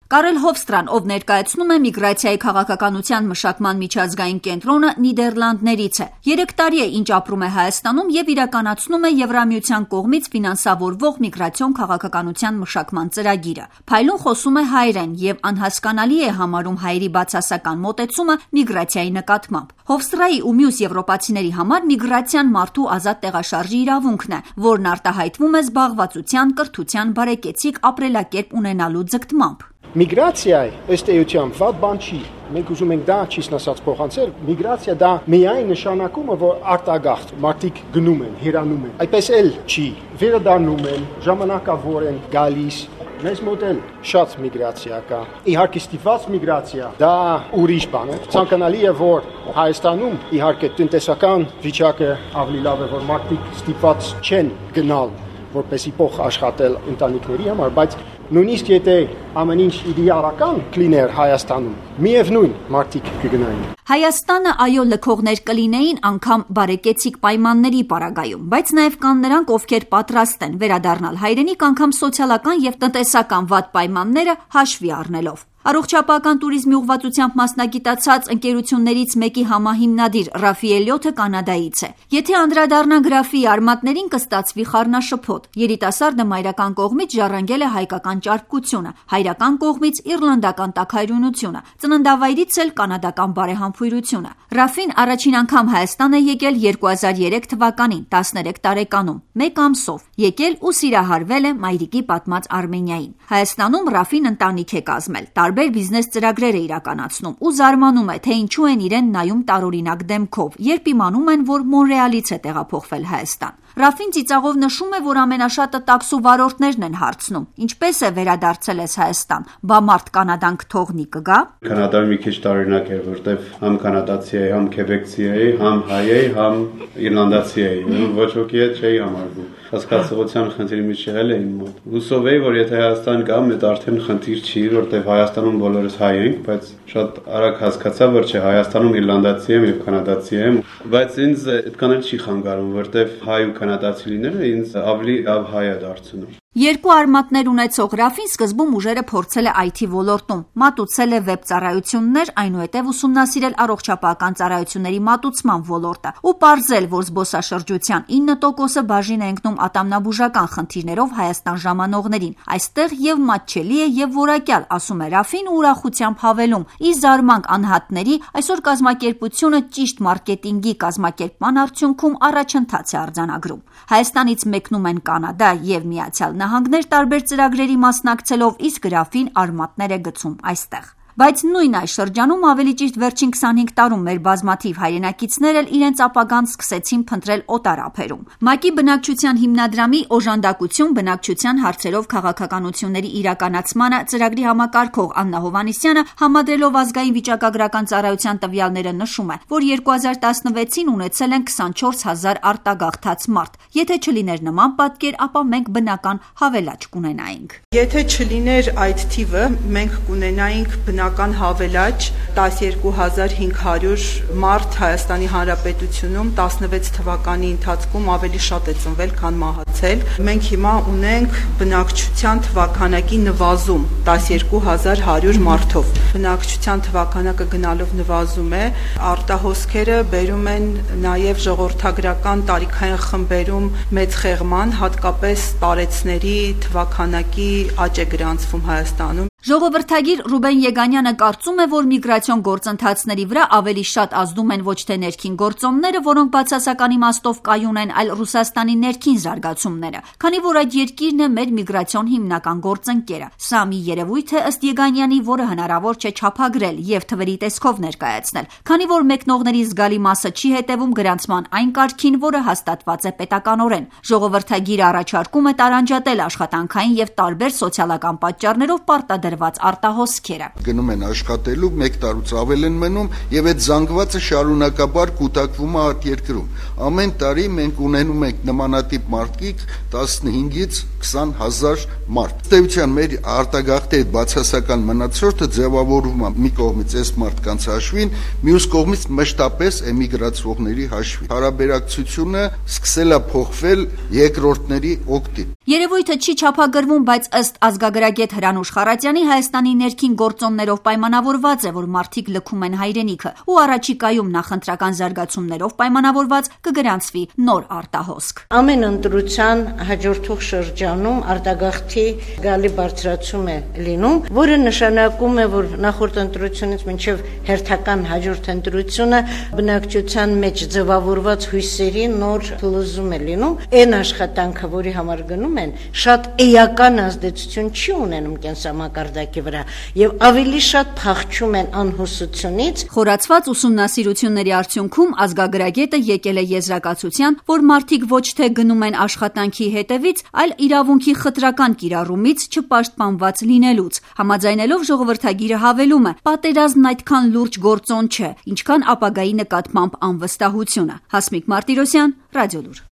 Կարել Հովստրան, ով ներկայացնում է միգրացիայի քաղաքականության մշակման միջազգային կենտրոնը, Նիդերլանդներից է։ 3 տարի է, ինչ ապրում է Հայաստանում եւ իրականացնում է Եվրամիության կողմից ֆինանսավորվող միգրացիոն քաղաքականության մշակման ծրագիրը։ Փայլուն խոսում է հայերեն եւ անհասկանալի է համարում հայերի բացասական մոտեցումը միգրացիայի նկատմամբ։ Հովստրայի ու մյուս եվրոպացիների համար միգրացիան մարդու ազատ տեղաշարժի իրավունքն է, որն արտահայտվում է զբաղվածության, կրթության, բարեկեցիկ ապրելակերպ ունենալու ձգտմամբ։ Միգրացիայի ըստ էության վատ բան չի։ Մենք ուզում ենք դա ճիշտ ասած փոխանցել։ Միգրացիա դա միայն նշանակում է, որ արտագաղթ մարդիկ գնում են, հեռանում են։ Այդպես էլ չի։ Վերադառնում են, ժամանակավոր են գալիս։ Մեզ մոտ էլ շատ միգրացիա կա։ Իհարկե ստիպված միգրացիա դա ուրիշ բան է։ Ցանկանալի է, որ Հայաստանում իհարկե տնտեսական վիճակը ավելի լավ է, որ մարդիկ ստիպված չեն գնալ, որպեսզի փող աշխատել ընտանիքների համար, բայց նույնիսկ եթե ամեն ինչ իդեալական կլիներ Հայաստանում, միևնույն մարդիկ կգնային։ Հայաստանը այո լքողներ կլինեին անգամ բարեկեցիկ պայմանների պարագայում, բայց նաև կան նրանք, ովքեր պատրաստ են վերադառնալ հայրենիք անգամ սոցիալական եւ տնտեսական վատ պայմանները հաշվի առնելով։ Առողջապահական տուրիզմի ուղղվածությամբ մասնագիտացած ընկերություններից մեկի համահիմնադիր Ռաֆի Էլիոթը Կանադայից է։ Եթե անդրադառնանք Ռաֆիի արմատներին, կստացվի խառնաշփոթ։ Երիտասարդը մայրական կողմից ժառանգել է հայկական ճարպկությունը, հայրական կողմից իռլանդական տաքայրունությունը, ծննդավայրից էլ կանադական բարեհամբույրությունը։ Ռաֆին առաջին անգամ Հայաստան է եկել 2003 թվականին, 13 տարեկանում, 1 ամսով, եկել ու սիրահարվել է մայրիկի պատմած Արմենիային։ Հայաստանում Ռաֆին ընտանիք է կազմել, տարբեր բիզնես ծրագրեր է իրականացնում ու զարմանում է, թե ինչու են իրեն նայում տարօրինակ դեմքով, երբ իմանում են, որ Մոնրեալից է տեղափոխվել Հայաստան։ Ռաֆին ծիծաղով նշում է, որ ամենաշատը տաքսու վարորդներն են հարցնում. ինչպես է վերադարձել ես Հայաստան, բա մարդ Կանադան կթողնի կգա։ Կանադայում մի քիչ տարօրինակ էր, որտեվ համ կանադացի էի, համ քեբեկցի էի, համ հայ էի, համ իռլանդացի էի, ոչ ոքի հետ չէի համարվում։ Հասկացողության խնդիրի մեջ եղել է իմ մոտ։ Հուսով էի, որ եթե Հայաստան գամ, այդ արդեն խնդիր չի, որտեվ Հայաստանում բոլորս հայ ենք, բայց շատ արագ հասկացա, որ չէ, Հայաստանում իռլանդացի եմ եւ կանադացի եմ, բայց ինձ այդքան էլ չի խանգարում, որտեվ հայ ու կանադացի լինելը ինձ ավելի լավ հայ է դարձնում։ Երկու արմատներ ունեցող Ռաֆին սկզբում ուժերը փորձել է IT ոլորտում, մատուցել է վեբ ծառայություններ, այնուհետև ուսումնասիրել առողջապահական ծառայությունների մատուցման ոլորտը ու պարզել, որ զբոսաշրջության 9%-ը բաժին է ընկնում ատամնաբուժական խնդիրներով Հայաստան ժամանողներին։ Այստեղ եւ մատչելի է եւ որակյալ, ասում է Ռաֆին ու ուրախությամբ հավելում. ի զարմանք անհատների, այսօր կազմակերպությունը ճիշտ մարքեթինգի կազմակերպման արդյունքում առաջընթաց է արձանագրում։ Հայաստանից մեկնում են Կանադա եւ Միացյալ Նահանգներ տարբեր ծրագրերի մասնակցելով, իսկ Ռաֆին արմատներ է գցում այստեղ։ Բայց նույն այս շրջանում, ավելի ճիշտ վերջին 25 տարում մեր բազմաթիվ հայրենակիցներ էլ իրենց ապագան սկսեցին փնտրել օտար ափերում։ ՄԱԿ-ի բնակչության հիմնադրամի օժանդակություն բնակչության հարցերով քաղաքականությունների իրականացմանը ծրագրի համակարգող Աննա Հովհաննիսյանը համադրելով ազգային վիճակագրական ծառայության տվյալները նշում է, որ 2016-ին ունեցել են 24000 արտագաղթած մարդ։ Եթե չլիներ նման պատկեր, ապա մենք բնական հավելաճ կունենայինք։ Եթե չլիներ այդ թիվը, մենք կունենայինք բնական հավելաճ 12500 մարդ Հայաստանի Հանրապետությունում 16 թվականի ընթացքում ավելի շատ է ծնվել, քան մահացել։ Մենք հիմա ունենք բնակչության թվականակի նվազում 12100 մարդով։ Բնակչության թվականակը գնալով նվազում է, արտահոսքերը բերում են նաև ժողովրդագրական տարիքային խմբերում մեծ խեղման, հատկապես տարեցների թվականակի աճ է գրանցվում Հայաստանում։ Ժողովրդագիր Ռուբեն Եգանյանը կարծում է, որ միգրացիոն գործընթացների վրա ավելի շատ ազդում են ոչ թե ներքին գործոնները, որոնք բացասական իմաստով կայուն են, այլ Ռուսաստանի ներքին զարգացումները, քանի որ այդ երկիրն է մեր միգրացիոն հիմնական գործընկերը։ Սա մի երևույթ է ըստ Եգանյանի, որը հնարավոր չէ չափագրել եւ թվերի տեսքով ներկայացնել, քանի որ մեկնողների զգալի մասը չի հետևում գրանցման այն կարգին, որը հաստատված է պետականորեն։ Ժողովրդագիրը առաջարկում է տարանջատել աշխատանքային եւ տարբեր սոցիալական պատճառներով պարտադրված արտահոսքերը։ Գնում են աշխատելու, 1 տարուց ավել են մնում եւ այդ զանգվածը շարունակաբար կուտակվում է արտերկրում։ Ամեն տարի մենք ունենում ենք նմանատիպ մարդիկ 15-ից 20000 մարդ։ Ըստ մեր արտագաղթի այդ բացասական մնացորդը ձևավորվում է մի կողմից այս մարդկանց հաշվին, մյուս կողմից մշտապես էմիգրացողների հաշվին։ Հարաբերակցությունը սկսել է փոխվել երկրորդների օգտին։ Երևույթը չի չափագրվում, բայց ըստ ազգագրագետ Հրանուշ Խառատյանի Քանի Հայաստանի ներքին գործոններով պայմանավորված է, որ մարդիկ լքում են հայրենիքը ու առաջիկայում նախընտրական զարգացումներով պայմանավորված կգրանցվի նոր արտահոսք։ Ամեն ընտրության հաջորդող շրջանում արտագաղթի գալի բարձրացում է լինում, որը նշանակում է, որ նախորդ ընտրությունից մինչև հերթական հաջորդ ընտրությունը բնակչության մեջ ձևավորված հույսերի նոր փլուզում է լինում։ Այն աշխատանքը, որի համար գնում են, շատ էական ազդեցություն չի ունենում կենսամակարդակի վրա եւ ավելի շատ փախչում են անհուսությունից։ Խորացված ուսումնասիրությունների արդյունքում ազգագրագետը եկել է եզրակացության, որ մարդիկ ոչ թե գնում են աշխատանքի հետևից, այլ իրավունքի խտրական կիրառումից չպաշտպանված լինելուց։ Համաձայնելով ժողովրդագիրը հավելում է. պատերազմն այդքան լուրջ գործոն չէ, ինչքան ապագայի նկատմամբ անվստահությունը։ Հասմիկ Մարտիրոսյան, Ռադիոլուր։